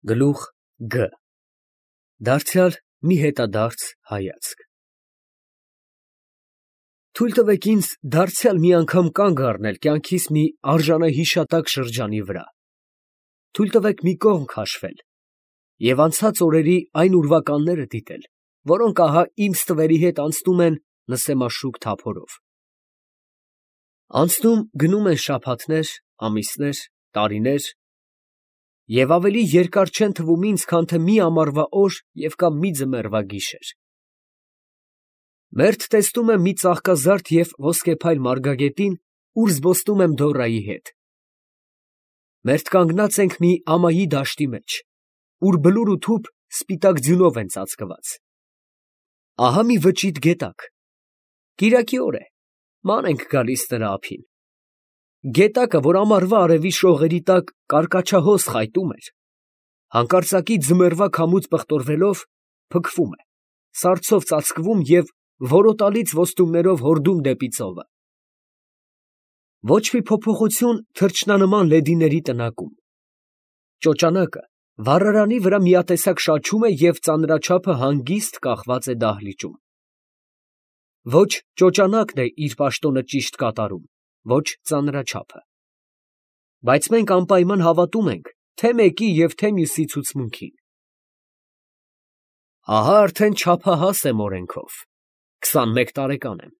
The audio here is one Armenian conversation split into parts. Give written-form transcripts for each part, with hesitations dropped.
Գլուխ Գ Դարձյալ մի հետադարձ հայացք։ Թույլ տվեք ինձ դարձյալ մի անգամ կանգ առնել կյանքիս մի արժանահիշատակ շրջանի վրա։ Թույլ տվեք մի կողմ քաշվել և անցած օրերի այն ուրվականները դիտել, որոնք ահա իմ ստվերի հետ անցնում են նսեմաշուք թափորով։ Անցնում գնում են շաբաթներ, ամիսներ, տարիներ, և ավելի երկար չեն թվում ինձ, քան թե մի ամառվա օր և կամ մի ձմեռվա գիշեր։ Մերթ տեսնում եմ մի ծաղկազարդ և ոսկեփայլ մարգագետին, ուր զբոսնում եմ Դորայի հետ։ Մերթ կանգնած ենք մի ամայի դաշտի մեջ, ուր բլուր ու թուփ սպիտակ ձյունով են ծածկված։ Ահա մի վճիտ գետակ։ Կիրակի օր է, ման ենք գալիս նրա ափին։ Գետակը, որ ամառվա արևի շողերի տակ կարկաչահոս խայտում էր, հանկարծակի ձմեռվա քամուց պղտորվելով փքվում է, սառցով ծածկվում և որոտալից ոստումներով հորդում դեպի ծովը։ Ոչ մի փոփոխություն թռչնանման լեդիների տնակում։ Ճոճանակը վառարանի վրա միատեսակ շաչում է և ծանրաչափը հանգիստ կախված է դահլիճում։ Ոչ ճոճանակն է իր պաշտոնը ճիշտ կատարում, ոչ ծանրաչափը։ Բայց մենք անպայման հավատում ենք թե մեկի և թե մյուսի ցուցմունքին։ Ահա արդեն չափահաս եմ օրենքով, 21 տարեկան եմ։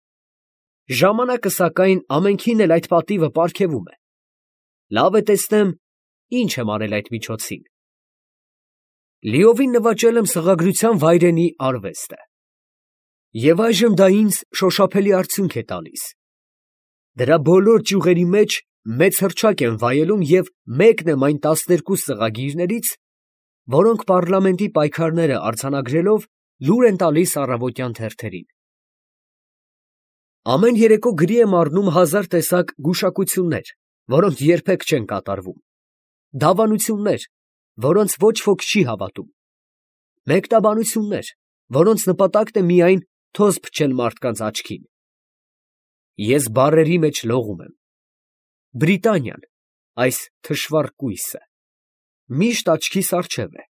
Ժամանակը, սակայն, ամենքին էլ այդ պատիվը պարգևում է։ Լավ է տեսնեմ, ինչ եմ արել այդ միջոցին։ Լիովին նվաճել եմ սղագրության վայրենի արվեստը։ Եվ այժմ դա ինձ շոշափելի արդյունք է տալիս։ Դրա բոլոր ճյուղերի մեջ մեծ հռչակ եմ վայելում և մեկն եմ այն 12 սղագիրներից, որոնք պառլամենտի պայքարները արձանագրելով լուր են տալիս առավոտյան թերթերին։ Ամեն երեկո գրի եմ առնում 1000 տեսակ գուշակություններ, որոնք երբեք չեն կատարվում, դավանություններ, որոնց ոչ ոք չի հավատում, մեկնաբանություններ, որոնց նպատակն է միայն թոզ փչել մարդկանց աչքին։ Ես բառերի մեջ լողում եմ։ Բրիտանիան, այս թշվառ կույսը, միշտ աչքիս առջև է,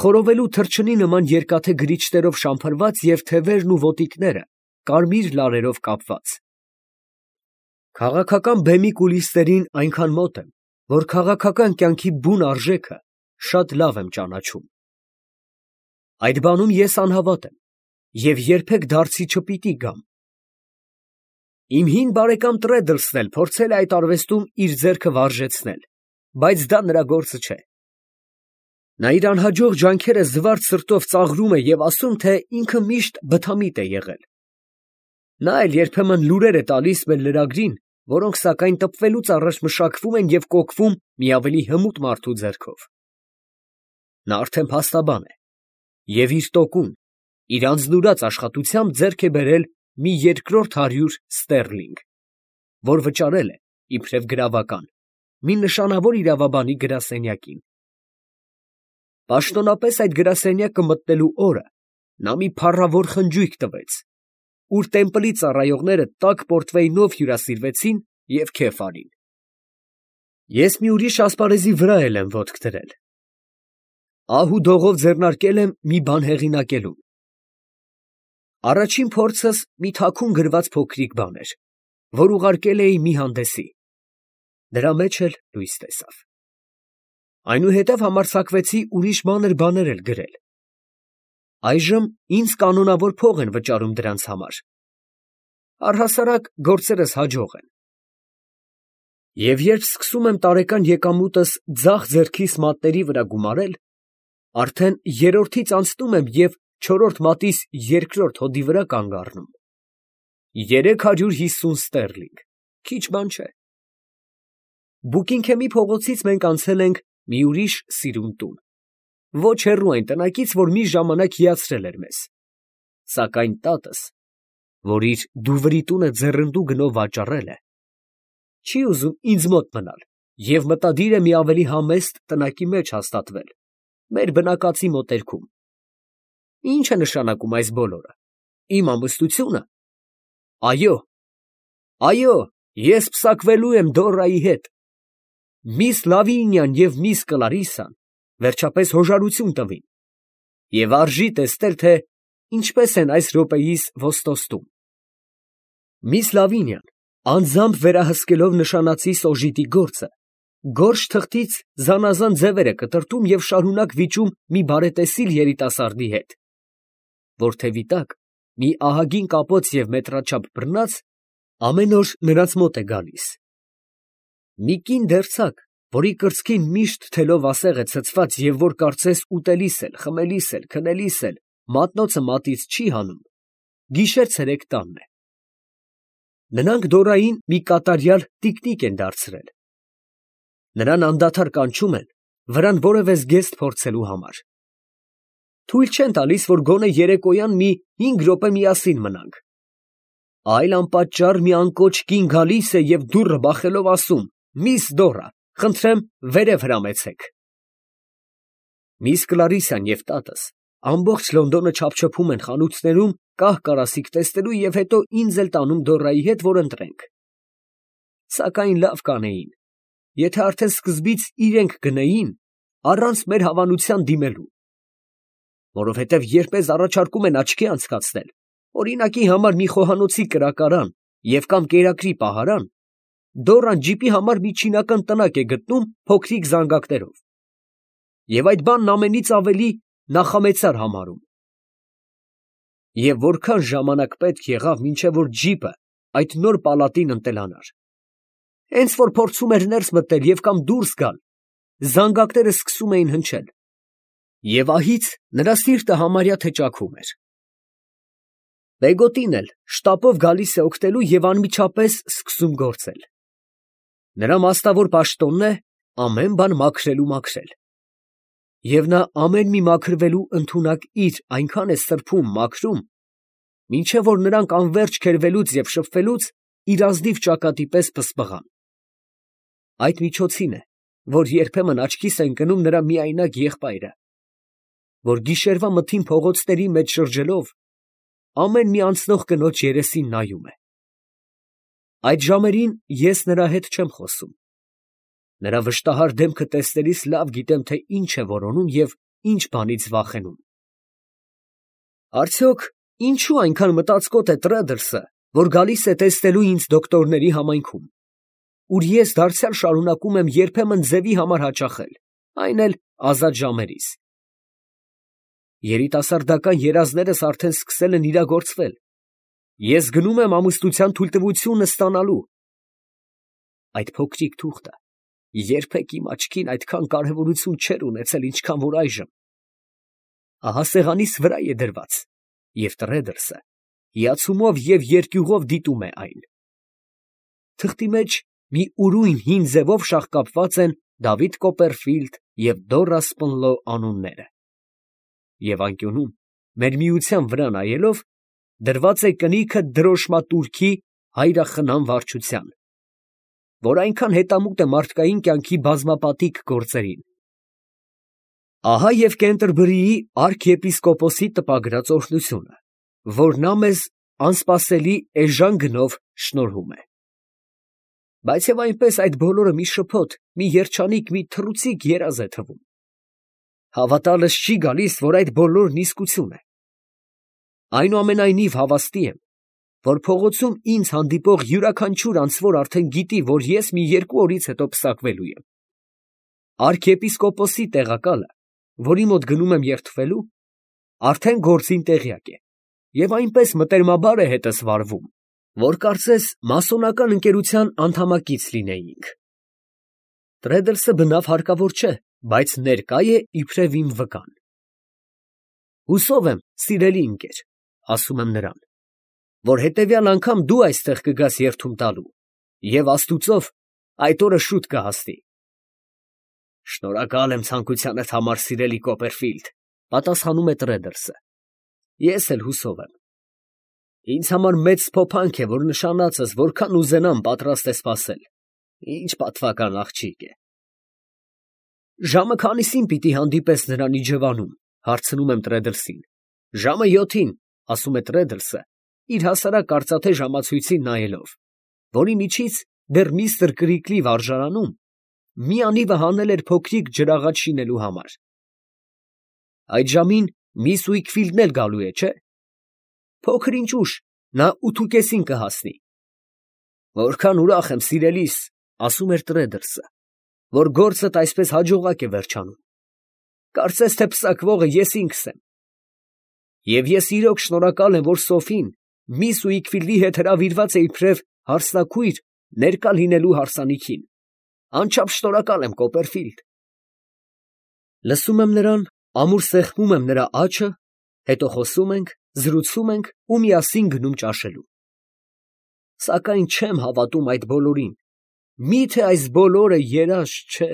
խորովելու թռչնի նման երկաթե գրիչներով շամփրված և թևերն ու ոտիկները կարմիր լարերով կապված։ Քաղաքական բեմի կուլիսներին այնքան մոտ եմ, որ քաղաքական կյանքի բուն արժեքը շատ լավ եմ ճանաչում։ Այդ բանում ես անհավատ եմ և երբեք դարձի չպիտի գամ։ Իմ հին բարեկամ Տրեդլսն էլ փորձել է այդ արվեստում իր ձեռքը վարժեցնել, բայց դա նրա գործը չէ։ Նա իր անհաջող ջանքերը զվարթ սրտով ծաղրում է և ասում, թե ինքը միշտ բթամիտ է եղել։ Նա էլ երբեմն լուրեր է տալիս մեր լրագրին, որոնք սակայն տպվելուց առաջ մշակվում են և կոկվում մի ավելի հմուտ մարդու ձեռքով։ Նա արդեն փաստաբան է և իր տոկուն, իր անձնուրաց աշխատությամբ ձեռք է բերել մի 200 ստերլինգ, որ վճարել է, իբրև գրավական, մի նշանավոր իրավաբանի գրասենյակին։ Պաշտոնապես այդ գրասենյակը մտնելու օրը նա մի փառավոր խնջույք տվեց, ուր տեմպլի ծառայողները տաք պորտվեյնով հյուրասիրվեցին և քեֆ արին։ Ես մի ուրիշ ասպարեզի վրա էլ եմ ոտք դրել։ Ահ ու դողով ձեռնարկել եմ մի բան հեղինակելուն։ Առաջին փորձս մի թաքուն գրված փոքրիկ բան էր, որ ուղարկել էի մի հանդեսի։ Դրա մեջ էլ լույս տեսավ։ Այնուհետև համարձակվեցի ուրիշ մանր բաներ էլ գրել։ Այժմ ինձ կանոնավոր փող են վճարում դրանց համար։ Առհասարակ գործերս հաջող են։ Եվ երբ սկսում եմ տարեկան եկամուտս ձախ ձեռքիս մատների վրա գումարել, արդեն երրորդից անցնում եմ և չորրորդ մատիս երկրորդ հոդի վրա կանգ առնում։ 350 ստերլինգ, քիչ բան չէ։ Բուկինգհեմի փողոցից մենք անցել ենք մի ուրիշ սիրուն տուն, ոչ հեռու այն տնակից, որ մի ժամանակ հիացրել էր մեզ, սակայն տատս, որ իր դուվրի տունը ձեռնդու գնով վաճառել է, չի ուզում ինձ մոտ մնալ և մտադիր է մի ավելի համեստ տնակի մեջ հաստատվել, մեր բնակածի մոտերքում։ Ի՞նչ է նշանակում այս բոլորը։ Իմ ամուսնությունը։ Այո, ես պսակվելու եմ Դորայի հետ։ Միս Լավինյան և միս Կլարիսան վերջապես հոժարություն տվին, և արժի տեսնել, թե ինչպես են այս րոպեիս ոստոստում։ Միս Լավինյան, անձամբ վերահսկելով նշանածի սոժիտի գործը, գորշ թղթից զանազան ձևեր է կտրտում և շարունակ վիճում մի բարետեսիլ երիտասարդի հետ, որ թևի տակ մի ահագին կապոց և մետրաչափ բռնած ամեն օր նրանց մոտ է գալիս։ Մի կին դերձակ, որի կրծքին միշտ թելով ասեղ է ցցված և որ կարծես ուտելիս էլ, խմելիս էլ, քնելիս էլ մատնոցը մատից չի հանում, գիշեր֊ցերեկ տանն է։ Նրանք Դորային մի կատարյալ տիկնիկ են դարձրել։ Նրան անդադար կանչում են վրան որևէ զգեստ փորձելու համար։ Թույլ չեն տալիս, որ գոնե երեկոյան մի 5 րոպե միասին մնանք։ Այլ անպատճառ մի անկոչ կին գալիս է և դուռը բախելով ասում. «Միս Դորա, խնդրեմ վերև հրամեցեք»։ Միս Կլարիսան և տատս ամբողջ Լոնդոնը չափչփում են խանութներում կահ֊կարասիք տեսնելու և հետո ինձ էլ տանում Դորայի հետ, որ ընտրենք։ Սակայն լավ կանեին, եթե արդեն սկզբից իրենք գնեին, առանց մեր հավանության դիմելու։ Որովհետև երբ առաջարկում են աչքի անցկացնել, օրինակի համար մի խոհանոցի կրակարան և կամ կերակրի պահարան, Դորան ջիպի համար մի չինական տնակ է գտնում փոքրիկ զանգակներով, և այդ բանն ամենից ավելի նախամեցար համարում։ Եվ որքան ժամանակ պետք եղավ, մինչև որ ջիպը այդ նոր պալատին ընտելանար։ Հենց որ փորձում էր ներս մտնել և կամ դուրս գալ, զանգակները սկսում էին հնչել, և ահից նրա սիրտը համարյա թե ճաքում էր։ Պեգոտին էլ շտապով գալիս է օգնելու և անմիջապես սկսում գործել։ Նրա մասնավոր պաշտոնն է ամեն բան մաքրել։ Եվ նա ամեն մի մաքրվելու ընդունակ իր այնքան է սրբում, մաքրում, մինչև որ նրանք անվերջ քերվելուց և շփվելուց իր ազնիվ ճակատի պես պսպղան։ Այդ միջոցին է, որ երբեմն աչքիս է ընկնում նրա միայնակ եղբայրը, որ գիշերվա մթին փողոցների մեջ շրջելով, ամեն մի անցնող կնոջ երեսին նայում է։ Այդ ժամերին ես նրա հետ չեմ խոսում։ Նրա վշտահար դեմքը տեսնելիս լավ գիտեմ, թե ինչ է որոնում և ինչ բանից վախենում։ Արդյոք ինչու այնքան մտածկոտ է Տրեդլսը, որ գալիս է տեսնելու ինձ դոկտորների համայնքում, ուր ես դարձյալ շարունակում եմ երբեմն ձևի համար հաճախել, այն էլ ազատ ժամերիս։ Երիտասարդական երազներս արդեն սկսել են իրագործվել։ Ես գնում եմ ամուսնության թույլտվությունը ստանալու։ Այդ փոքրիկ թուղթը երբեք իմ աչքին այդքան կարևորություն չէր ունեցել, ինչքան որ այժմ։ Ահա սեղանիս վրա է դրված, և Տրեդլսը հիացումով և երկյուղով դիտում է այն։ Թղթի մեջ մի ուրույն հին ձևով շաղկապված են Դավիթ Կոպերֆիլդ և Դորա Սպոնլո անունները, և անկյունում, մեր միության վրա նայելով, դրված է կնիքը դրոշմատուրքի հայրախնամ վարչության, որ այնքան հետամուտ է մարդկային կյանքի բազմապատիկ գործերին։ Ահա և Կենտերբերիի արքեպիսկոպոսի տպագրած օրհնությունը, որ նա մեզ անսպասելի էժան գնով շնորհում է։ Բայց և այնպես այդ բոլորը մի շփոթ, մի երջանիկ, մի թռուցիկ երազ է թվում։ Հավատալս չի գալիս, որ այդ բոլորն իսկություն է։ Այնուամենայնիվ հավաստի եմ, որ փողոցում ինձ հանդիպող յուրաքանչյուր անձվոր արդեն գիտի, որ ես մի 2 օրից հետո պսակվելու եմ։ Արքեպիսկոպոսի տեղակալը, որի մոտ գնում եմ երդվելու, արդեն գործին տեղյակ է և այնպես մտերմաբար է հետս վարվում, որ կարծես մասոնական ընկերության անդամակից լինեինք։ Տրեդլսը բնավ հարկավոր չէ, բայց ներկա է իբրև իմ վկան։ Հուսով եմ, սիրելի ընկեր, ասում եմ նրան, որ հետևյալ անգամ դու այստեղ կգաս երդում տալու, և աստուծով այդ օրը շուտ կհասնի։ Շնորհակալ եմ ցանկությանդ համար, սիրելի Կոպերֆիլդ, պատասխանում է Տրեդլսը։ Ես էլ հուսով եմ։ Ինձ համար մեծ փոփանք է, որ նշանածս որքան ուզենամ պատրաստ է սպասել։ Ինչ պատվական աղջիկ է։ Ժամը քանիսին պիտի հանդիպես նրան իջևանում, հարցնում եմ Տրեդլսին։ Ժամը 7-ին, ասում է Տրեդլսը, իր հասարակ արծաթե ժամացույցին նայելով, որի միջից դեռ միստր Կրիկլի վարժարանում մի անիվը հանել էր փոքրիկ ջրաղաց շինելու համար։ Այդ ժամին միս Ուիկֆիլդն էլ գալու է, չէ՞։ Փոքր ինչ ուշ, նա 8:30 կհասնի։ Որքան ուրախ եմ, սիրելիս, ասում էր Տրեդլսը, որ գործդ այսպես հաջողակ է վերջանում։ Կարծես թե պսակվողը ես ինքս եմ։ Եվ ես իրոք շնորհակալ եմ, որ Սոֆին միս Ուիկֆիլդի հետ հրավիրված է իբրև հարսնաքույր ներկա լինելու հարսանիքին։ Անչափ շնորհակալ եմ, Կոպերֆիլդ։ Լսում եմ նրան, ամուր սեղմում եմ նրա աջը, հետո խոսում ենք, զրուցում ենք ու միասին գնում ճաշելու։ Սակայն չեմ հավատում այդ բոլորին։ Մի՞թե այս բոլորը երազ չէ։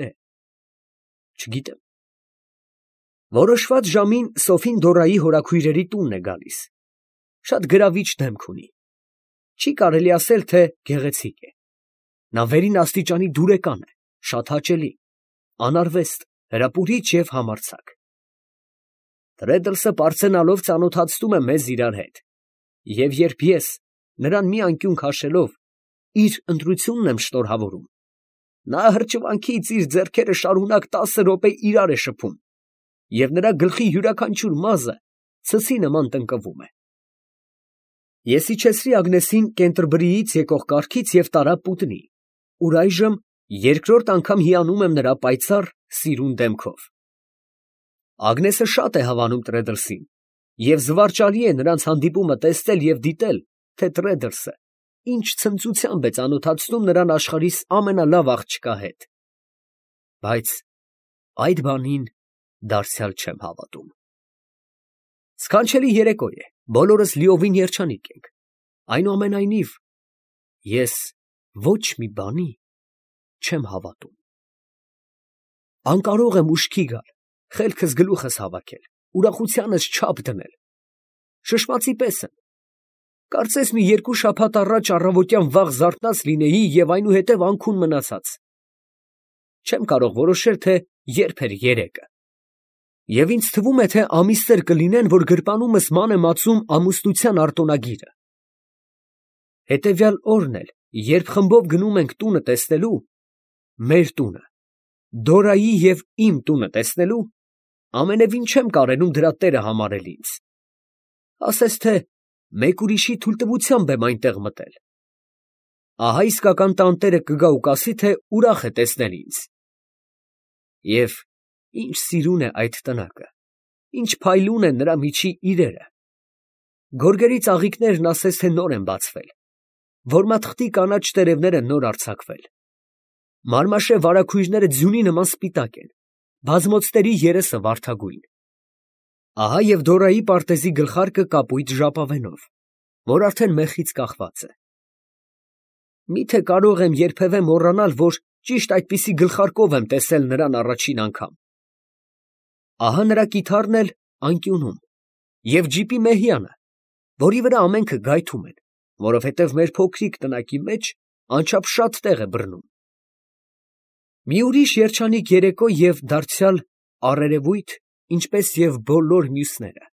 Չգիտեմ։ Որոշված ժամին Սոֆին Դորայի հորաքույրերի տունն է գալիս։ Շատ գրավիչ դեմք ունի։ Չի կարելի ասել, թե գեղեցիկ է։ Նա վերին աստիճանի դուրեկան է, շատ հաճելի, անարվեստ, հրապուրիչ և համարձակ։ Տրեդլսը պարծենալով ծանոթացնում է մեզ իրար հետ։ Եվ երբ ես, նրան մի անկյուն քաշելով, իր ընտրությունն եմ շնորհավորում, նա հրճվանքից իր ձեռքերը շարունակ 10 րոպե իրար է շփում, և նրա գլխի յուրաքանչյուր մազը ցցի նման տնկվում է։ Ես իջեցրի Ագնեսին Կենտերբրիից եկող կառքից և տարա Պուտնի, ուր այժմ երկրորդ անգամ հիանում եմ նրա պայծառ, սիրուն դեմքով։ Ագնեսը շատ է հավանում Տրեդլսին, և զվարճալի է նրանց հանդիպումը տեսնել և դիտել, թե Տրեդլսը ինչ ցնծությամբ է ծանոթացնում նրան աշխարհիս ամենալավ աղջկա հետ։ Բայց այդ բանին դարձյալ չեմ հավատում։ Սքանչելի երեկո է, բոլորս լիովին երջանիկ ենք։ Այնուամենայնիվ, ես ոչ մի բանի չեմ հավատում։ Անկարող եմ ուշքի գալ, խելքս գլուխս հավաքել, ուրախությանս չափ դնել։ Շշմածի պես եմ։ Կարծես մի 2 շաբաթ առաջ առավոտյան վաղ զարթնած լինեի և այնուհետև անքուն մնացած։ Չեմ կարող որոշել, թե երբ էր երեկը։ Եվ ինձ թվում է, թե ամիսներ կլինեն, որ գրպանումս ման է մածում ամուսնության արտոնագիրը։ Հետևյալ օրն էլ, երբ խմբով գնում ենք տունը տեսնելու, մեր տունը, Դորայի և իմ տունը տեսնելու, ամենևին չեմ կարենում դրա տերը համարել ինձ։ Ասես թե մեկ ուրիշի թույլտվությամբ եմ այնտեղ մտել։ Ահա իսկական տանտերը կգա ու կասի, թե ուրախ է տեսնել ինձ։ Եվ ինչ սիրուն է այդ տնակը, ինչ փայլուն են նրա միջի իրերը։ Գորգերի ծաղիկներն ասես թե նոր են բացվել, որմաթղթի կանաչ տերևները նոր արձակվել։ Մարմաշե վարագույրները ձյունի նման սպիտակ են, բազմոցների երեսը վարդագույն։ Ահա և Դորայի պարտեզի գլխարկը կապույտ ժապավենով, որ արդեն մեխից կախված է։ Միթե կարող եմ երբևէ մոռանալ, որ ճիշտ այդպիսի գլխարկով եմ տեսել նրան առաջին անգամ։ Ահա նրա կիթառն էլ անկյունում, և ջիպի մեհյանը, որի վրա ամենքը գայթում են, որովհետև մեր փոքրիկ տնակի մեջ անչափ շատ տեղ է բռնում։ Մի ուրիշ երջանիկ երեկո և դարձյալ առերևույթ, ինչպես և բոլոր մյուսները։